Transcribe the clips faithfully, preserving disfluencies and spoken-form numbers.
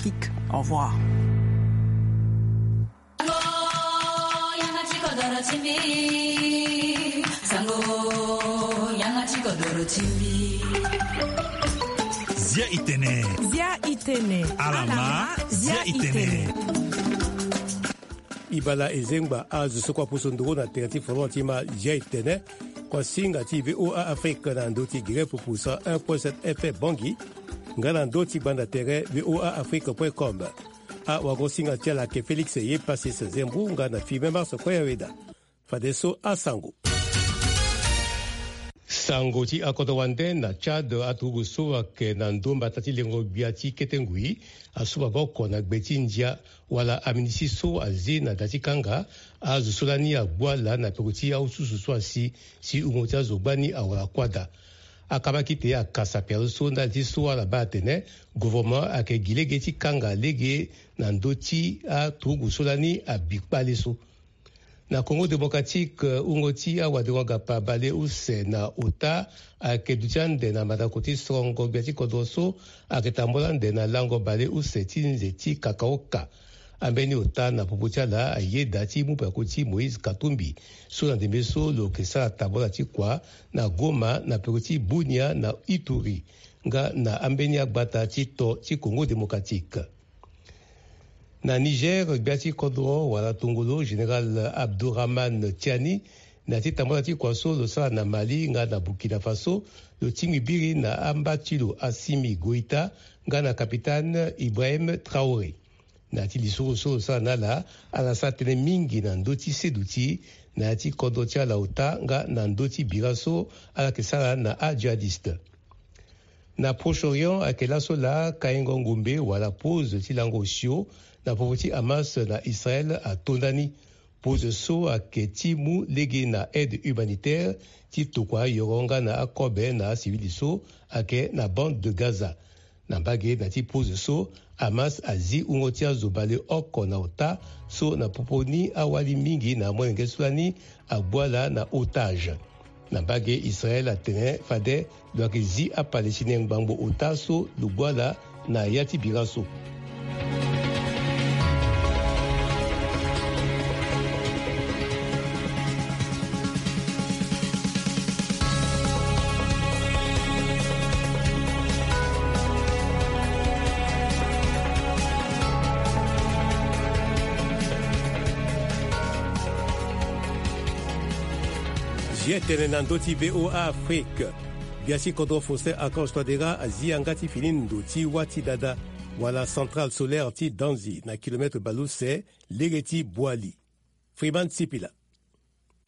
Kik. Au revoir. Zia itene. Zia itene. Alama. Zia itene. Ibala ezengba azo so kua pusu nduru na tere ti folon ti ma zia itene. Kua singa ti VOA Afrique na ndo ti gere pupu cent un point sept F M Bangui. Nga na ndo ti gbanda tere VOA Afrique point com. Awago singa ti ala ake Félix ye Pasis Zembu nga na Firmin Mars Koyaweda. Fadeso asango. Sango ti akodro wande na Tchad, aturugu so ayeke na ndo mbata ti lengo gbia ti kete ngui asu maboko na gbe ti ndia wala aminisi so azi na da ti kanga azo so lani agbu ala na peko ti ahususu so asi si wungo ti azo gbani awara kuâ daa. Akama kite akasa pialo so ndali ti so ala baa atene gouvernement ayeke gi lege ti kanga lege na ndö ti aturugu so lani abi kpale so. Na Congo Démocratique, wungo ti awadengo-gapa baleuse na ota ayeke duti ande na mandako ti sorongo gbia ti kodro so ayeke tambula ande na lango baleuse ti nze ti Kakaoka. Ambeni ota na popo ti ala ayeda ti mu peko ti Moïse Katumbi so na ndembe so lo yeke sara tambula ti kua na Goma na peko ti Bunia na Ituri nga na ambeni agbata ti to ti Congo Démocratique. Na Niger, gbia ti kodro wala tongolo général Abdourahmane Tiani na ya ti tambula ti kua so lo sara na Mali nga na Burkina Faso, lo tingbi biri na amba ti lo Assimi Goïta nga na capitaine Ibrahim Traoré. Na ya ti lisoro so lo sara na ala, ala sara tënë mingi na ndö ti seduti na ya ti kodro ti ala ota nga na ndö ti bira so ala yeke sara na ajihadiste. Na Proche-Orient ayeke laso laa kaingo ngombe wala pause ti lango osio na popo ti Hamas na Israël ato ndani. Pause so ayeke ti mu lege na aide humanitaire ti tokua ayoro nga na akobe na asivili so ayeke na bande de Gaza. Na mbage na ya ti pause so, Hamas azi wungo ti azo baleoko na ota so na popo ni awali mingi na amolenge so lani agbu ala na otage. Na mbage Israël atene fade lo yeke zi aPalestinien ngbangbo ota so lo gbu ala na ya ti bira so. Zi etene na ndö ti VOA Afrique. Gbia ti kodro Faustin Archange Touadéra azi yanga ti fini ndo ti wâ ti dada wala centrale solaire ti Danzi na kilomètre baleuse lege ti Boali. Freeman Sipila.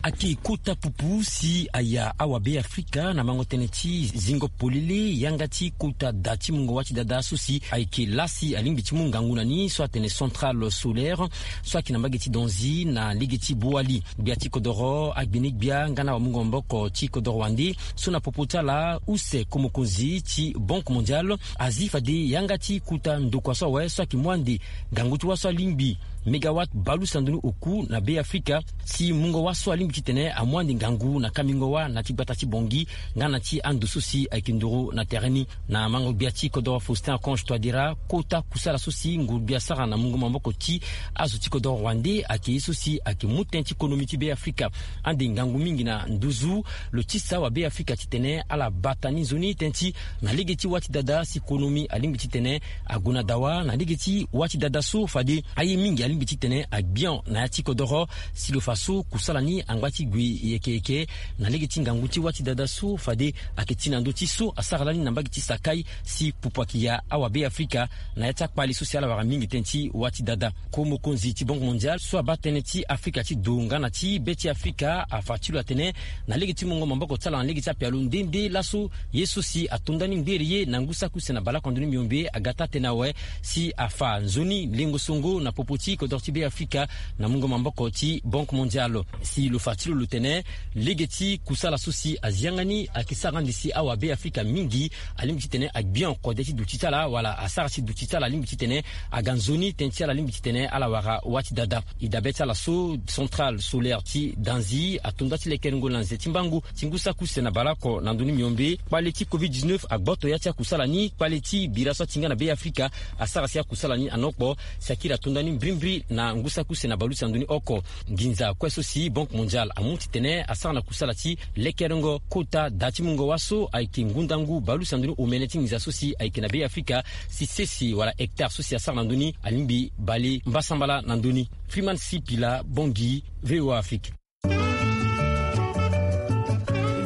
Ayeke kota pupu si aya awabe Afrika na mango tënë ti zingo polele yanga ti kota da ti mungo wâ ti dada so si ayeke laa si alingbi ti mu ngangu na ni so atene centrale solaire so ayeke na mbage ti Danzi na lege ti Boali. Gbia ti kodoro agbene gbia nga na wamungo maboko ti kodoro wande so na popo ti ala use ko mokonzi ti Banque Mondiale azi fade yanga ti kota ndokua so awe so ayeke mu ande ngangu ti wâ so alingbi mégawatt baleuse na ndoni oku na be Afrika si mungo wâ so alingbi titene amu ande ngangu na kambingo wâ na ti gbata ti Bangui nga na ti ando so si ayeke nduru na tere ni. Na mango gbia ti kodoro Faustin Archange Touadéra, kota kusala so si nguru gbia asara na mungo maboko ti azo ti kodoro wande ayeke ye so si ayeke mu tënë ti konomi ti be Afrika ande ngangu mingi na nduzu. Lo tisa awabe Afrika titene ala bata ni nzoni tënë ti na lege ti wâ ti dada si konomi alingbi titene ague na dawa na lege ti wâ ti dada so fade aye mingi alingbi titene agbia na ya ti kodoro si lo fa so kusala ni angba ti gue yeke yeke na lege ti ngangu ti wâ ti dada so fade ayeke ti na ndö ti so asara lani na mbage ti Sakai si pupu ayeke ya awabe Afrika na ya ti akpale so si ala wara mingi tënë ti wâ ti dada. Ko mokonzi ti Banque Mondiale so abaa tënë ti Afrika ti do nga na ti be ti Afrika afa ti lo atene na lege ti mungo maboko ti ala na lege ti apialo nde nde laso ye so si ato ndani ngbere ye na ngu saki use na baleoko na ndoni miombe aga taa tënë awe si afa nzoni lengo songo na popo ti kodoro ti be Afrika na mungo maboko ti Banque Mondiale. Si lo fa Ti lo lo tene lege ti kusala so si azi yanga ni ayeke sara ande si awabe afrika mingi alingbi titene agbia kode ti duti ti ala wala asara si duti ti ala alingbi titene aga nzoni tënë ti ala alingbi titene ala wara wâ ti dada. E dabe ti ala so centrale solaire ti danzi atonda ti lekerengo na nze ti mbangu ti ngu saki use na baleoko na ndoni miombe kpale ti covid dix-neuf agboto ya ti akusala ni kpale ti bira so atinga na be afrika asara si akusala ni anokpo si akiri atonda ni mbrimbri na ngu saki use na baleuse na ndoni oko. Nginza kue so si Banque Mondiale amu titene asara na kusala ti lekerengo kota da ti mungo wâ so ayeke ngundangu baleuse na ndoni omene ti nginza so si ayeke na be afrika si sese wala hectare so si asara na ndö ni alingbi bale mbasambala na ndö ni. Freeman Sipila, Bangui, V O A Afrique. E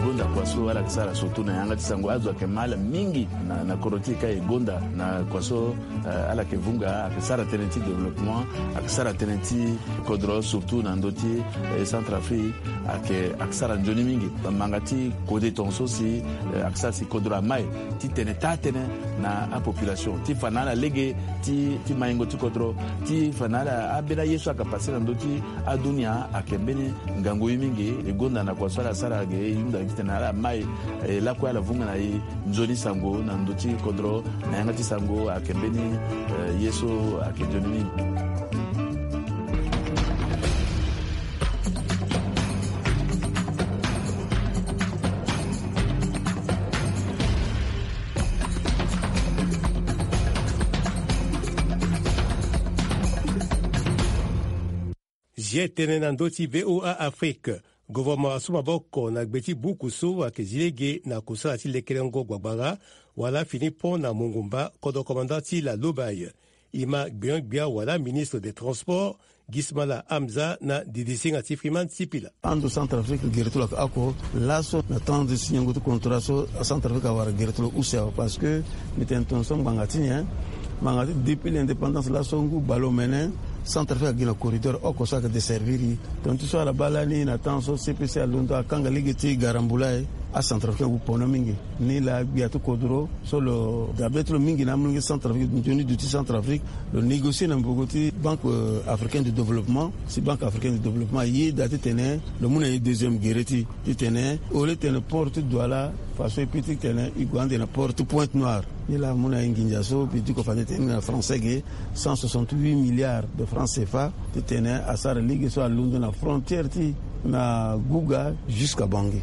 gonda kua so ala yeke sara surtout na yanga ti sango azo ayeke ma ala mingi na, na kodro ti e ka e gonda na kua so, eh, ala yeke vunga ayeke sara tënë ti développement, ayeke sara tënë ti kodro surtout na ndö ti, eh, Centrafrique. Ayeke, ayeke sara nzoni mingi. Manga ti kode tongaso si, eh, ayeke sara si kodro amai titene taa tënë na apopulation ti fa na ala lege ti, ti maingo ti kodro ti fa na ala ambeni aye so ayeke pase na ndö ti adunia ayeke mbeni ngangu ye mingi. E gonda na kua so ala sara ge e hunda titene ala mai, eh, lakue ala vunga na e nzoni sango na ndö ti kodro na yanga ti sango ayeke mbeni, eh, ye so ayeke nzoni mingi. Zi tënë na ndö ti V O A Afrique. Gouvernement asu maboko na gbe ti buku so ayeke zi lege na kusala ti lekerengo gbagbara wala fini pont na mongumba kodro commandant ti la Lobaye. E ma gbion-gbia wala ministre des transports Gismala Hamza na didisinga ti Freeman Sipila. Ando Centrafrique gere ti lo ayeke oko laso na temps ti signango ti contrat so Centrafrique awara gere ti lo use awe parce que mbi tene tongaso ngbanga ti nyen? Ngbanga ti depuis l'indépendance laso ngu baleomene Centrafrique agi na corridor oko so ayeke desservir e. Tonga ti so ala baa lani na temps so C P C alondo akanga lege ti garambula e, aCentrafricain agu pono mingi. Ni laa gbia ti kodro so lo dabe ti lo mingi na amolenge ti Centrafrique, nzoni duti Centrafrique, lo négocier na mbogo ti Banque, euh, Africaine de Développement. Si Banque Africaine de Développement ayeda titene lo mu na e deuxième gere ti, titene au lieu titene port ti Douala, faso e pi titene e gue ande na port ti Pointe-Noire. Ni laa amu na e nginza so mbi diko fade tene na français ge, cent soixante-huit milliards de francs C F A, titene asara lege so alondo na frontière ti na Gouga jusqu'à Bangui.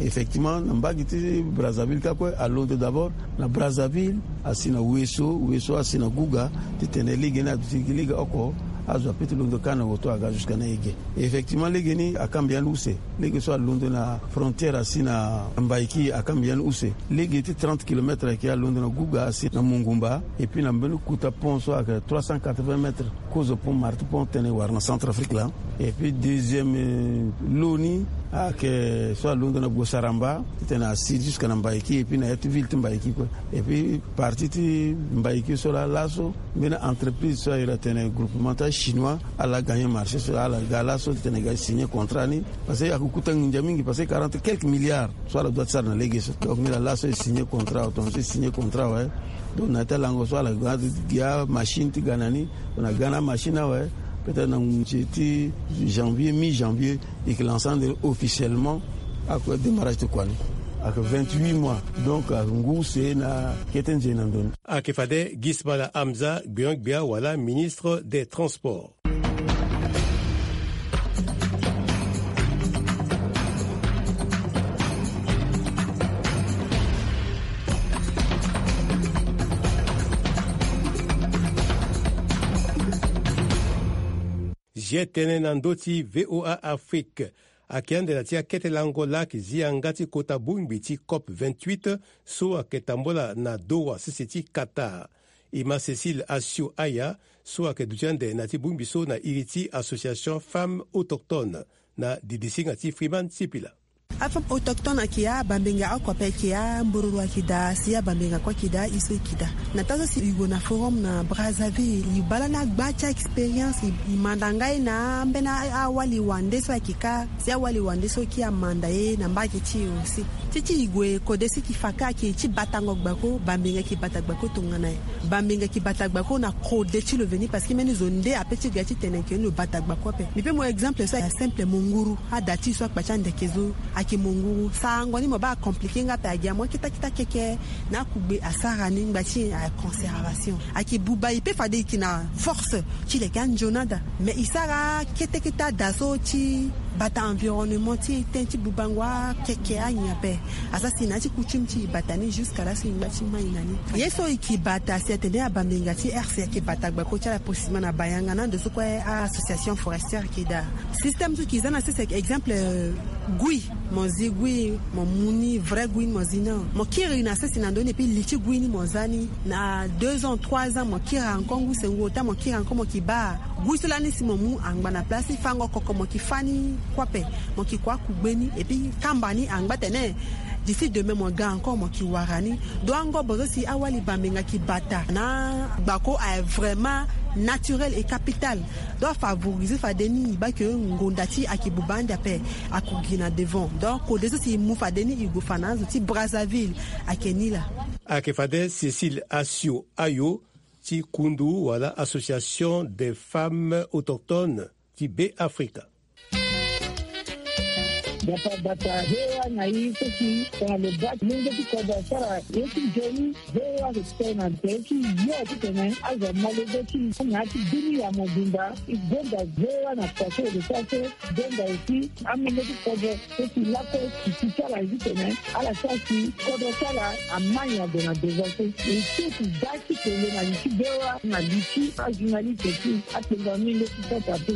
Effectivement na mbage ti Brazzaville ka kue alondo d'abord na Brazzaville, asi na Ouesso, Ouesso asi na Gouga, titene lege ni aduti gi lege oko, azo apeut ti londo ka na woto aga jusqu'à na e ge. Effectivement lege ni akamba yande use. Lege so alondo na frontière asi na Mbaïki akamba yande use. Lege ti trente kilomètres ayeke alondo na Gouga asi na Mongumba. Et puis na mbeni kota pont so ayeke trois cent quatre-vingts mètres, kozo pont, Marti pont titene e wara na Centrafrique laa. Et puis deuxième, euh, lo ni ayeke so alondo na Gosaramba titene asi jusqu'à na Mbaïki et puis na ya ti ville ti Mbaïki kue. Et puis partie ti Mbaïki so laa laso mbeni entreprise so ayeke tene groupement ti achinois ala gagner marché so ala ga laso titene e ga signer contrat ni. Parce que ayeke kota nginza mingi parce que quarante quelques milliards so ala doit ti sara na lege so. Donc ni laa laso e signer contrat awe, tongaso e signer contrat awe. Donc na ya ti alango so ala ga gi amachine ti ga na ni. Donc na ga na amachine awe, peut-être na ngu ti janvier, mi-janvier, e yeke lancer ande officiellement. Ayeke démarrage ti kua ni ayeke vingt-huit mois. Donc ayeke ngu use na kete nzoni na ndo ni. Ayeke fade Gismala Hamza, gbion-gbia wala ministre des transports. Zi tënë na ndö ti V O A Afrique. Ayeke ande na ti akete lango laa ayeke zi yanga ti kota bongbi ti COP vingt-huit so ayeke tambula na Doha sese ti Qatar. E ma Cécile Assio Aya so ayeke duti ande na ti bongbi so na iri ti Association Femmes Autochtones na didisinga ti Freeman Sipila. Afemme autochtone ayeke ya, abambenga oko ape ayeke ya, mbororo ayeke daa, si abambenga kue ayeke daa, e so e yeke daa. Na taa so si e gue na forum na Brazzaville, e baa lani agba ti a-expérience, e, e manda nga ye na ambeni a-, awali wande so ayeke ka, si awali wande so kiri amanda ye na mbage ti e aussi. Ti ti e gue kode si e ke fa ka ayeke ti batango gbako, bambenga e ke bata gbako tongana nyen? Bambenga e ke bata gbako na kode ti lo veni, parce que mbeni zo nde ape ti ga ti tene ke ni lo bata gbako ape. Mbi pe mo exemple so ayeke simple, mo nguru. Ada ti e so akpa ti andeke zo ayeke mo nguru. Sarango ni mo baa acompliqué nga ape, agi amu akita kita keke na akugbe asara ni ngba ti nyen? Ayeke conservation. Ayeke buba e pe fade e yeke na force ti leke anzoni ada. Mais e sara kete kete ada so ti bata environnement ti e ten ti bubango akeke anyen ape. Asara si na ya ti coutume ti e bata ni jusqu'à laso e ngba ti mai na ni. Ye so e ke bata si atene abambenga ti R C ayeke bata gbako ti ala posima na bayanga na ndo so kue a-association forestière e ke daa. Système so e ke za na sese ayeke exemple, euh, gui. Mo zi gui, mo mu ni vrai gui ni mo zi ni. Mo kiri na sese na ndö ni, et puis li ti gui ni mo za ni. Na deux ans, trois ans, mo kiri encore ngu se ngu ota, mo kiri encore, mo ke baa gui so lani si mo mu angba na place ti fango koko, mo ke fa ni kue ape, mo ke kua kugbe ni, et puis kamba ni angba tene d'ici demain mo ga encore, mo ke wara ni. Donc angobo so si awali bambenga ke bata na gbako aye vraiment naturel et capital. Donc afavorisé fade ni e baa ke ngonda ti e ayeke buba ande ape, ako gi na devant. Donc kode so si e mu fade ni e gue fa na azo ti Brazzaville ayeke ni laa. Ayeke fade Cécile Assio Ayo ti kundu wala Association des Femmes Autochtones ti Be Afrika. Bata bata V O A na i so si tongana lo baa ti lenge ti kodro asara ye ti nzoni, V O A ayeke tene na tere ti yo titene azo amolenge ti i na ya ti bini ya mobimba. I gonda V O A na kua so lo sara so, i gonda aussi amolenge ti kodro so si lakue titi ti ala ye titene ala sara si kodro ti ala amai ado na devant so. E so ti da ti kele na li ti V O A na li ti ajournaliste ti akpengba mingi ti sasa te.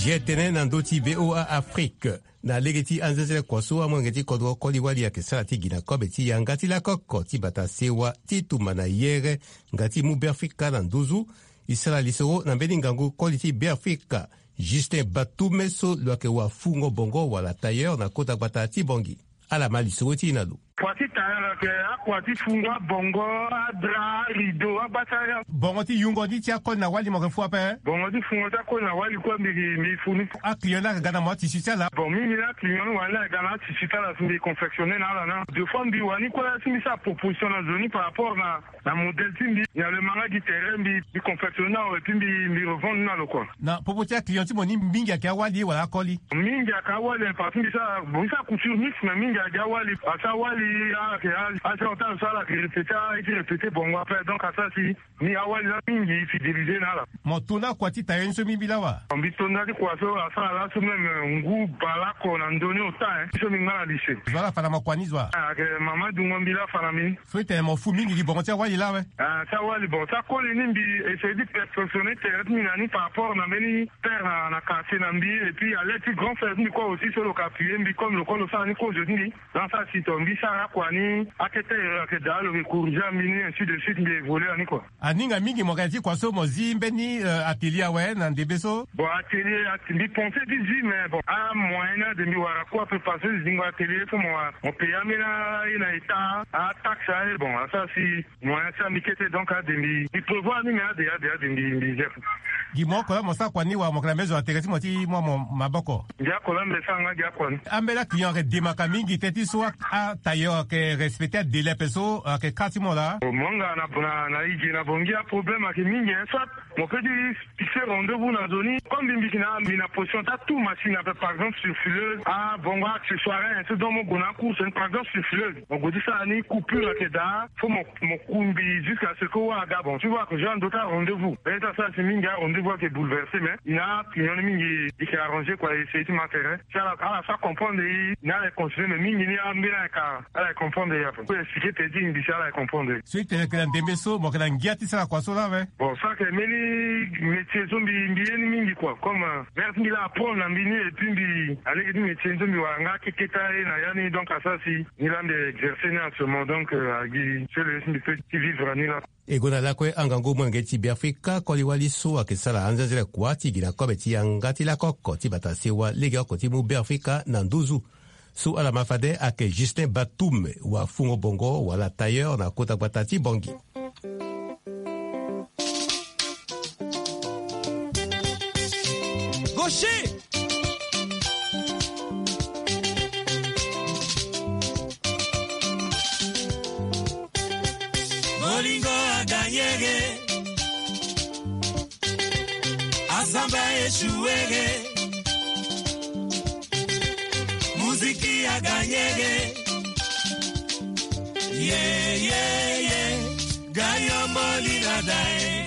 Zia tënë na ndö ti V O A Afrique. Na lege ti anzenzele kua so amolenge ti kodro koli wali ayeke sara ti gi na kobe ti yanga ti lakoko ti bata sewa ti tumba na yere nga ti mu Beafrika na nduzu. E sara lisoro na mbeni ngangu koli ti Beafrika, Justin Batume so lo yeke wafungo bongo wala tailleur na kota gbata ti Bongi. Ala ma lisoro ti e na lo. Kua ti tailleur ayeke akua ti fungo abongo, adra, arideau, abasara. Bongo ti yungo ni ti akoli na wali mo yeke fû ape? Bongo ti fungo ti akoli na wali kue mbi, mbi fû ni. Aclient ni ayeke ga na mo atisi ti ala? Bon, mingi ni aclient ni wani la ayeke ga na atisi ti ala si mbi confectionner na ala na. Deux fois mbi wani kue la si mbi sara proposition na zo ni par rapport na na modèle ti mbi, na lo ma nga gi tere mbi, mbi confectionner na lo et puis mbi, mbi revendre ni na lo kua. Na popo ti aclient ti mo ni mingi ayeke awali wala akoli? Mingi ayeke awali, parce que mbi sara, bon, mbi sara couture mixte, mais mingi ayeke awali. Parce que awali ayeke a, a, a, so ala yeke répéter, a, e ti répéter bongo après, donc asara si ni awali la mingi e fidéliser na ala. Mo tuna kua ti tailleur ni so mingi la wa? Mbi tona ti kua so asara laso même, euh, ngu bale oko na ndö ni ota, hein. So mbi nga na lycée. Zo ala fa na mo kua ni zo wa? Ah, ayeke mama dungo mbi la afa na mbi ni. So e tene mo fû mingi gi bongo ti awali la awe? Ah, ti awali, bon, ti akoli ni mbi essayer ti perfectionner tere ti mbi na ni par rapport na mbeni père na, na quartier na mbi, et puis à l'aide ti grand frère ti mbi kue aussi so lo yeke appuyer mbi comme lo kue lo sara ni kozo ti mbi. Donc asara si tongana mbi sara akua ni, akete ere ayeke daa lo yeke corriger mbi ni, ainsi de suite, mbi évoluer na ni kua. Aninga mingi mo yeke na ya ti kua so mo zi mbeni, euh, atelier awe na ndembe so? Bon, atelier, at-, mbi pensé ti zi, mais bon, amoyen ni ade mbi wara kue ape parce que zingo atelier so mo wara, mo payer ambeni aye na état, ataxe aye, bon, asara si moyen ti mbi kete, donc ade mbi, mbi prévoir ni, mais ade, ade, ade mbi, mbi zi ape. Gi mo oko la mo sara kua ni wala mo yeke na mbeni zo na tere ti mo ti mu mo maboko? Gi oko la mbi sara nga gi akua ni. Ambeni aclient ayeke demaka mingi teti so a, atailleur ayeke respecter adélai ape so ayeke kâ ti mo laa? Mo nga na, na, na e gi na Bongi aproblème ayeke mingi, hein, soit mo peut ti fixer rendez-vous na zo ni. Comme mbi, mbi yeke na, mbi na position ti atu machine ape, par exemple sur fileuse, ah, bongo accessoire, hein, so donc mo gue na acourse ni, par exemple sur fileuse. Mo gue ti sara ni coupure ayeke daa, faut mo, mo ku mbi jusqu'à ce que wâ aga. Bon, tu vois que j'ai un autre rendez-vous. Mais ça, ça, c'est mingi, rendez-vous ayeke bouleversé, mais il a client ni mingi, il s'est arrangé, quoi, et c'est ma terrain. Si ala, ala sara comprendre e, ni ala e considérer, mais mingi ni ambeni ayeke, ala e comprendre e ape. Faut expliquer, peut-être, mbi si ala e comprendre. So e tene ayeke na ndembe so, mo yeke na ngia ti sara kua so la awe? Bon, so ayeke mbeni métier so mbi, mbi ye ni mingi, quoi. Comme, euh, mère ti mbi la apprendre na mbi ni, et puis mbi, alege ti métier ni so mbi wara nga akeketa ye na ya ni, donc asara si ni la mbi exercer ni actuellement, donc, euh, agi so le ye so mbi peut ti vivre na ni la. E gue na lakue angangu molenge ti Beafrika koli wali so ayeke sara anzenzele kua ti gi na kobe ti yanga ti lakoko ti bata sewa legeoko ti mu Beafrika na nduzu. So ala ma fade ayeke Justin Batum, wafungo bongo wala tailleur na kota gbata ti Bongi. Lingo aganyege. Asamba echuwege. Muziki aganyege. Ye, ye, ye. Gayo moli na dae.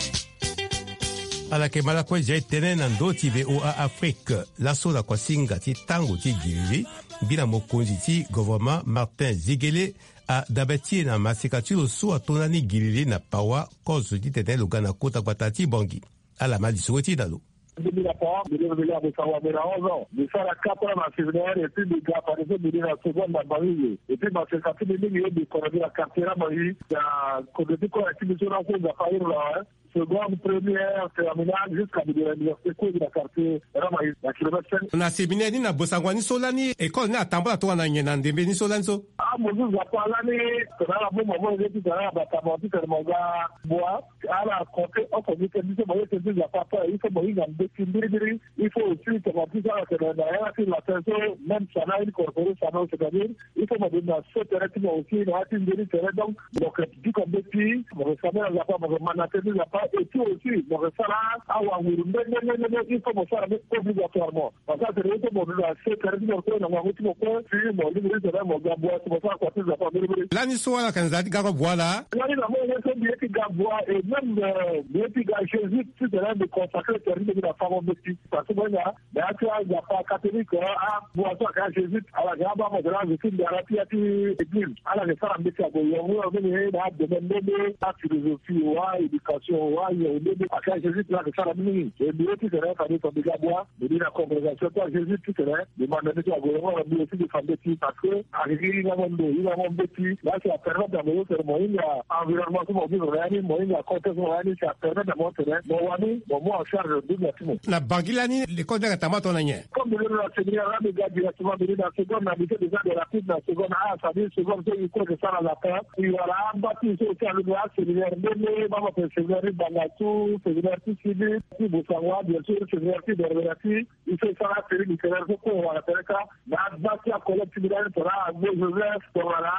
Ala yeke ma lakue zia e tënë na ndö ti V O A Afrique. Laso na kuasinga ti tango ti gilili, mbi na mokonzi ti governement Martin Zigele adabe ti e na maseka ti lo so ato na ni gilili na pawa kozo titene lo ga na kota gbata ti Bangui. Ala ma lisoro ti e na lo. Mbi na pawa, mbi leke mbi laa mbi sara wamera onze ans. Mbi sara quatre ans na séminaire, et puis mbi ga fade so mbi ri na seconde na Bangui. Et puis maseka ti mbi mingi ye mbi kono mbi na quartier na Bangui. Na kozo ti kora ti mbi so na so Nzapa iri na, hein. Seconde, première, terminale, jusqu'à mbi gue na université, kue mbi na quartier Ramaise, na kilomètre cinq. Na séminaire ni na bosango ni so lani école ni atambula tongana nyen na ndembe ni so lani so? Ah, mo zu Nzapa lani, tongana mo mama mo ye ti tongana batama ti tongana mo ga bwa, ala compter oko gi tënë ti so mo ye tënë ti Nzapa ape, il faut mo hinga mbeti mbirimbiri, il faut aussi tongana ti so ala tene na yanga ti latin so, même sana incorporé sana, c'est-à-dire, il faut mo bima so tere ti mo aussi na ya ti nzoni tere. Donc mo yeke duka mbeti, mo yeke sambela Nzapa, mo yeke ma na tënë ti Nzapa, et puis aussi mo yeke sara awanguru nde nde nde nde, il faut mo sara ni obligatoirement. Parce que atene il faut mo duka so tere ti mo kue na ngangu ti mo kue, si mo lingbi ti tene mo ga bua si mo sara kua ti Nzapa mbirimbiri. Lani so ala yeke na nzara ti ga kue bua laa? Lani na mo ye so mbi ye ti ga bua, et même, euh, mbi ye ti ga Jésus ti tene mbi consacré tere ti mbi na fango mbeti. Parce que mo hinga na ya ti aNzapa catholique, ah, abua so ayeke ajésuite, ala yeke abaa mo tene azo ti ndara ti ya ti église. Ala yeke sara mbeti ague yongo yongo ni na adomaine nde nde, aphilosophie wa, éducation wa, yongo nde nde. Ayeke ajésuite la ayeke sara mingi. E mbi ye ti tene fade so mbi ga bua, mbi ni na congrégation ti ajésuite ti tene mbi ma na mbeti ague yongo yongo, mbi aussi mbi fa mbeti parce que ayeke gi hingango ndo, hingango mbeti. La si apermettre na mo so tene mo hinga environnement so mo vivre na ya ni, mo hinga contexte so mo na ya ni, si apermettre na mo tene mo wani mo mu en charge dunia ti mo. Na Bangui lani, l'école ni ayeke tambula tongana nyen? Comme mbi londo na séminaire la, mbi ga directement, mbi ni na seconde na lycée des arts et rapide na seconde A, c'est-à-dire seconde so e kue e sara latin. E wara amba ti e so e ti alondo aséminaire nde nde, mama tene séminaire ti Bangassou, séminaire ti Sidi, ti Bossangoa, bien sûr, séminaire ti Berbera ti. E so e sara asérie littéraire so kue e wara tere kâ. Na agba ti acollègue ti mbi lani tongana Agbo Joseph, tongana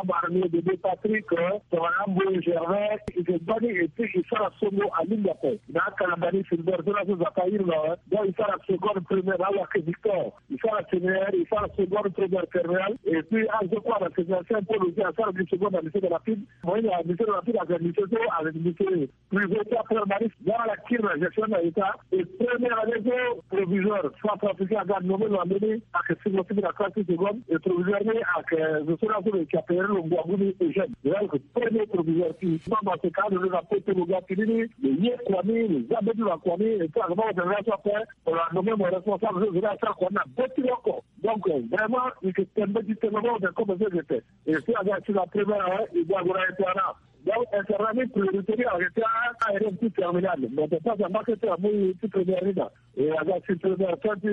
Abarnier Bébé Patrick, tongana Amboye Gervais, e yeke gbani et puis e sara songo alingbi ape. Na akalamba ni Filbert so laso Nzapa iri na, donc e sara seconde, première, na Awake Victor. E sara séminaire, e sara seconde, première, terminale. Et puis azo kue na séminaire Saint Paul aussi asara gi seconde na lycée de la Pib. Mo ye na lycée de la Pib ayeke lycée so ayeke lycée privé ti apre mari, nga ala kiri na gestion na État. Et première année so proviseur centrafricain aga nommé lo na mbeni, ayeke singla ti mbi na classe ti seconde. Et proviseur ni ayeke zo so laso lo yeke appelé lo ngu agu ni Eugène. Lo ayeke premier proviseur ti mama, c'est quand lo na poto lo ga fini ni, lo ye kua ni, lo za be ti lo na kua ni. Et puis ayeke mama tene laso ape lo na nommé mo responsable so zo ni asara kua ni na be ti lo oko. Donc vraiment e yeke tembe ti tembe mama tene comme so e yeke te. Et puis aga ti la première année e ga gue na internat. Donc internat ni priorité ni ayeke ti a-élève ti terminale, mais tene pasi amba kete amu e ti première ni na. E aga ti première fin ti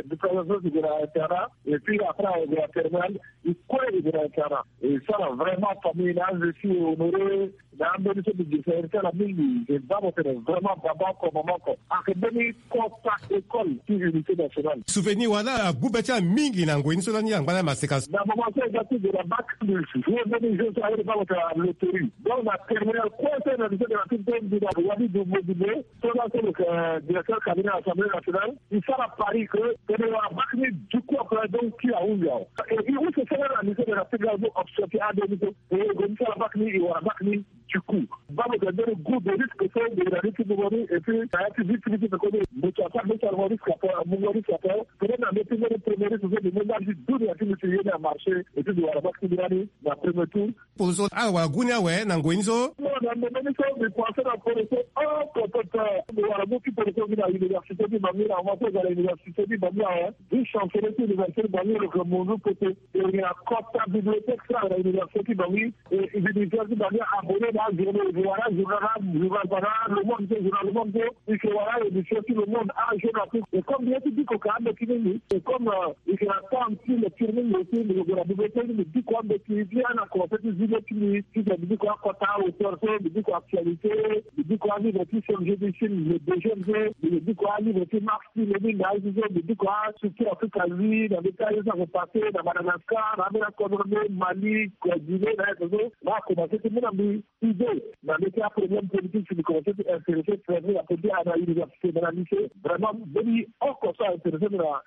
diplôme so ti gue na internat, et puis après ague na terminale, e kue e gue na internat. E sara vraiment famille na azo ti e honoré na ambeni so mbi gi sara ti ala mingi. E baa mo tene vraiment baba oko mama oko. Ayeke mbeni kota école ti unité nationale. Souvenir wala agbu be ti ala mingi na ngoi ni so lani angba na maseka so. Na moment so e ga ti gue na bac, mbi joue mbeni jeu so aye ni baa mo tene na loterie. Donc na terminale kue so na lycée de la Pib so mbi na wani Dumbo Dumbo so laso lo yeke directeur cabinet assemblée nationale. E sara pari que tene e wara bac ni du coup après, donc ti ahunzi awe. Et e use sara na lycée de la Pib la so option ti ade ni so. E gue ti sara bac ni, e wara bac ni. Du coup baa mo tene mbeni goût de risque so mbi na ni ti mungo ni, et puis na ya ti vie ti mbi ti pekoni mbi ti asara mbi ti sara mo risque ape, mungo risque ape. Peut-être na mbi ti mbeni premier risque so mbi mu nda ti dunia ti mbi ti ye ni amarché, et puis mbi wara bac ti mbi lani na premier tour. Poroso ala wara gu ni awe na ngoi ni so? Non, na ndembe ni so mbi pensé na poroso oko pepe. Mbi wara mu ti poroso mbi na université ti Bangui, na moment so e ga na université ti Bangui awe, vice chancelier ti université ti Bangui lo yeke munzu poto. E yeke na kota bibliothèque so ayeke na université ti Bangui. E, e, université ti Bangui abonné na ajournaux, e yeke wara ajournal na journal, wala Le Monde so, journal Le Monde so, e yeke wara aédition ti Le Monde, ajournal so. Et comme mbi ye ti biko ka ambeti mingi, et comme, euh, e yeke na temps ti lecture mingi aussi, mbi yeke gue na bibliothèque ni mbi biko ambeti ti ana conseil ti zi le ti mbi, titene mbi biko akota auteur so, mbi biko actualité, mbi biko alivre ti C M G ti Chine, le deuxième so, mbi biko alivre ti Marx ti Lénine na aye so, mbi biko astructure Afrique Asie na mbeti aye so ayeke passé na Madagascar, na ambeni akodro nde Mali, Guinée, na aye so, na akomanse ti mu na mbi idée. Na ndeti aproblème politique si mbi commencé ti intéressé, na politique na université, na lycée. Vraiment mbeni oko so aintéressé mbi na.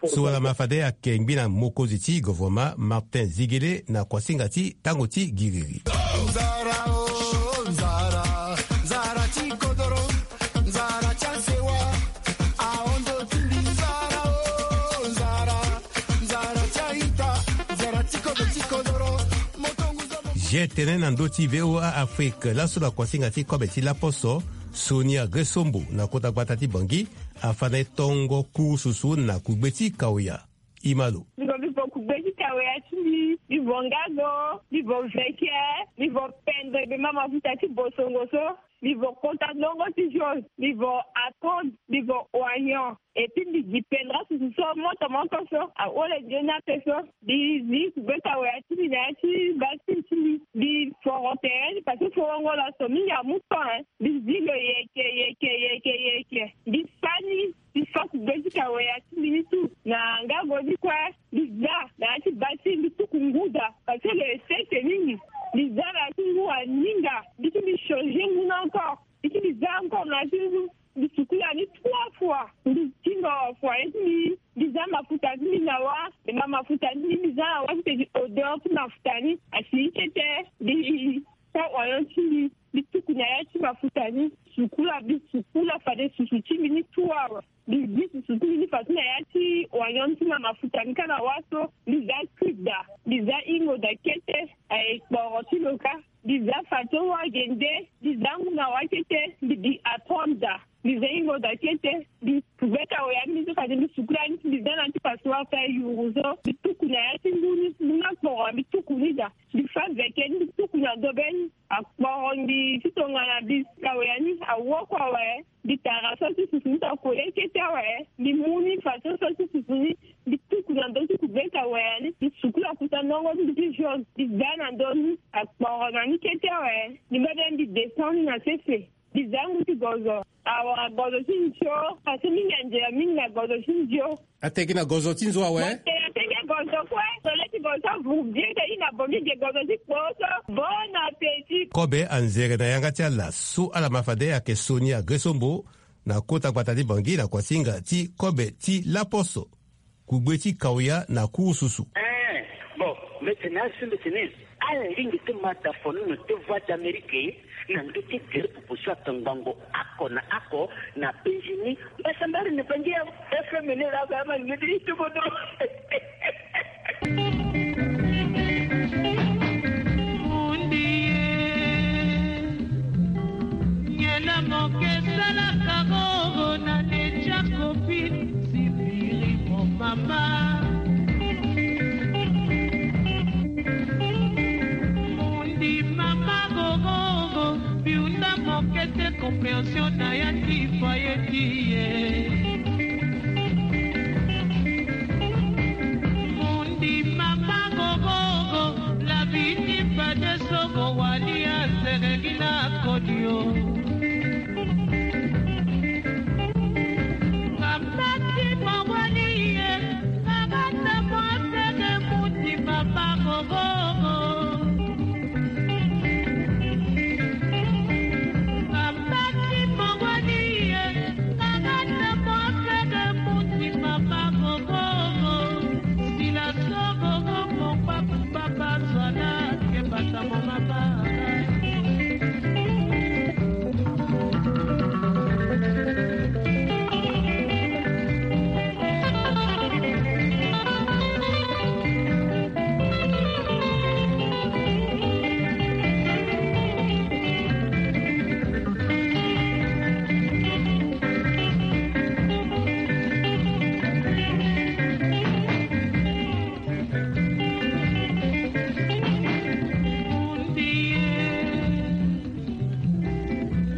So wala ma fade ayeke ngbi na mokonzi ti gouvernement Martin Ziguélé na kuasinga ti tango ti giriri. Nzara o, nzara, nzara ti kodoro, nzara ti asewa, aondo ti mbi nzara o, nzara, nzara ti aita, nzara ti kodo ti kodoro. Moto ngu zo mo. G tene na ndö ti V O A Afrique laso na kuasinga ti kobe ti laposo, Sonia Gresombo na kota gbata ti Bangui, afa na e tongo kurususu na kugbe ti kaoya. Imalo. Mbi vo mbi vo kugbe ti kaoya ti mbi, mbi vo ngago, mbi vo veke, mbi vo pendre be ma mafuta ti bosongo so, mbi vo kota ndongo ti jaune, mbi vo atonde, mbi vo oignon. Et puis mbi gi pendra susu so moto moto so ahole nzoni ape so. Mbi zi kugbe kaoya ti mbi na ya ti basine ti mbi. Mbi foro tere ni parce que forongo laso mingi amu temps, hein. Mbi zi lo yeke, yeke, yeke, yeke. Mbi fa ni. Mbi fa kugbe ti kaoya ti mbi ni tu na ngago ni kue. Mbi za na ya ti basine, mbi tuku ngu daa parce que lo ye sese mingi. Mbi za na ya ti ngu aninga. Mbi ti mbi changer ngu ni encore. Mbi ti mbi za encore na ya ti ngu. Mbi sukula ni trois fois. Mbi tingo foyer ti mbi. Mbi za mafuta ti mbi na wâ. E ma mafuta ti mbi, mbi za na wâ ti tene odeur ti mafuta ni asi kete. Mbi sa oignon ti mbi. Mbi tuku na ya ti mafuta ni. Sukula, mbi sukula fade susu ti mbi ni tout awe. Mbi zi susu ti mbi ni fadeso na ya ti oignon ti ma mafuta ni kâ na wâ so. Mbi za cube daa. Mbi za hingo daa kete. Aye kporo ti lo kâ. Mbi za fadeso wâ gende. Mbi za ngu na wâ kete. Mbi gi atonde daa. Mbi za hingo daa kete. Mbi kugbe kaoya ni so fade mbi sukula ni, mbi za na ya ti passoire ti ayuru so. Mbi tuku na ya ti ngu ni, ngu ni akporo, mbi tuku ni daa. Mbi fa veke ni, mbi tuku na dobe ni. Akporo mbi ti tongana mbi kaoya ni awoko awe. Mbi tara so ti susu ni so akole kete awe. Mbi mu ni fadeso so ti susu ni. Mbi tuku na ndö ti kugbe kaoya ni. Mbi sukula kuta ndongo ti mbi ti jaune. Mbi za na ndö ni. Akporo na ni kete awe. Mbi mbebe mbi descend ni na sese. Mbi za ngu ti gozo. Awa gozo ti nzio. Parce que mingi anzere mingi na gozo ti nzio. Ateke na gozo ti nzo awe. Ateke gozo kue. Tole ti gozo ti avuru bien te i na bo mbi ge gozo ti kpo so. Bon appétit. Kobe anzere na yanga ti ala so ala ma fade ayeke Sonia Gresombo na kota gbata ti Bangui na kuasinga ti kobe ti laposo. Kugbe ti kaoya na kurususu. Eh, bon, mbi tene asi mbi tene. Ala lingbi ti ma da fonono ti Voix d'Amérique na ndö ti gere popo so atongbango oko na oko na penzi ni. Mbasa mbari na bangi ya F M ni la ba ma ngedi ti bodo. Mundi ye. Nge na moke salaka gogo na netia kopi. Sipiri mo mama. Mundi mama gogogo, biunda moke te compréhension na ya ti foyer ti ye. Mundi mama gogogo, la vie ti fade so go wali aseregi na kodi o. Nga mbati mawali ye, nga bata mwasege muti mama gogogo. Nga mbati mawali ye, nga bata mwasege muti mama gogogo. Sila so gogo mo papa. Papa Zwana, ke bata mama ba.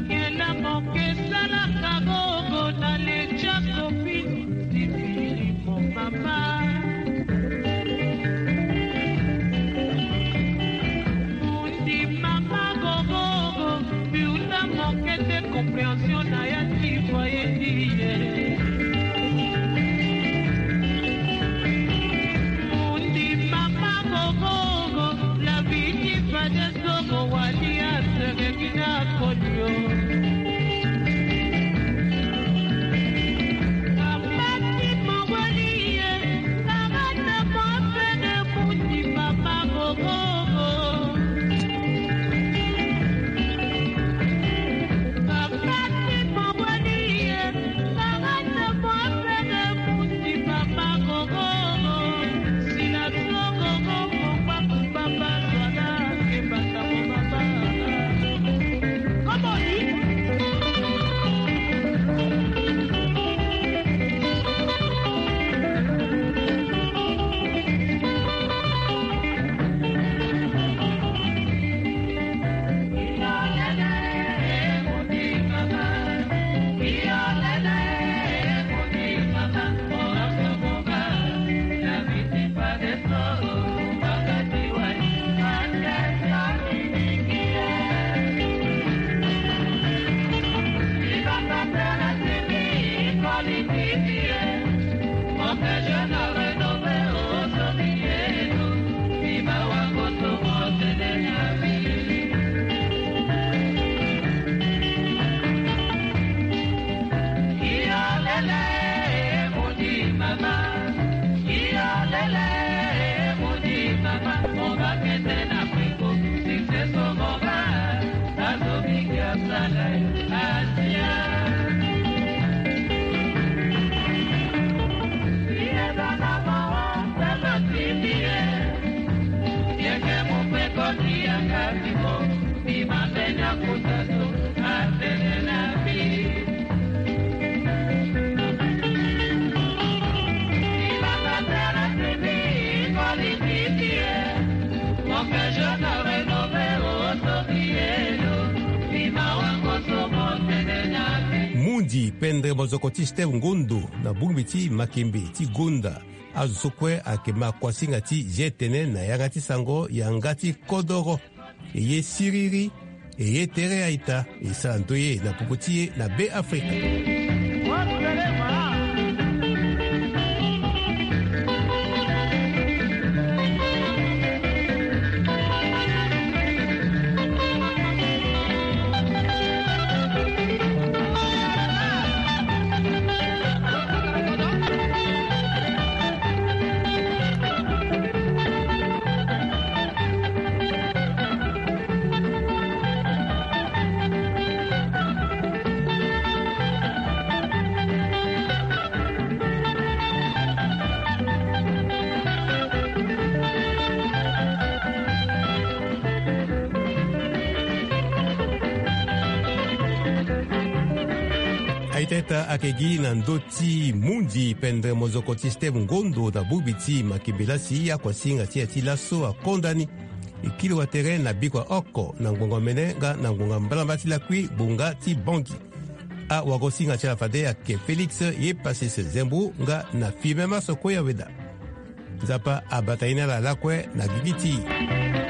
Yenda moke salaka gogo na letia kopi. Sipiri mo mama. Mundi mama gogogo, biunda moke te compréhension na ya ti foyer ti ye. Mundi mama gogogo, la vie ti fade so go wali ase. Mundi pendre mozoko ti Steve Ngondo na bongbi ti makembe ti gonda. Azo so kue ayeke ma kuasinga ti zi tene na yanga ti sango yanga ti kodoro. E ye siriri, e ye tere a-ita, e sara ndoye na popo ti e na Be Afrika. Aita ita ayeke gi na ndö ti mundi pendre mozoko ti Steve Ngondo na bongbi ti makembe lasi, akuasinga ti ya ti laso akonda ni. E kiri watere na bikua oko na ngonga mene nga na ngonga mbalamba ti lakui gbonga ti Bangui. Awagosinga ti ala fade ayeke Félix Yepasis Zembo nga na Firmin Massoko Yaweda. Nzapa abata ye na ala lakue na gigi ti e.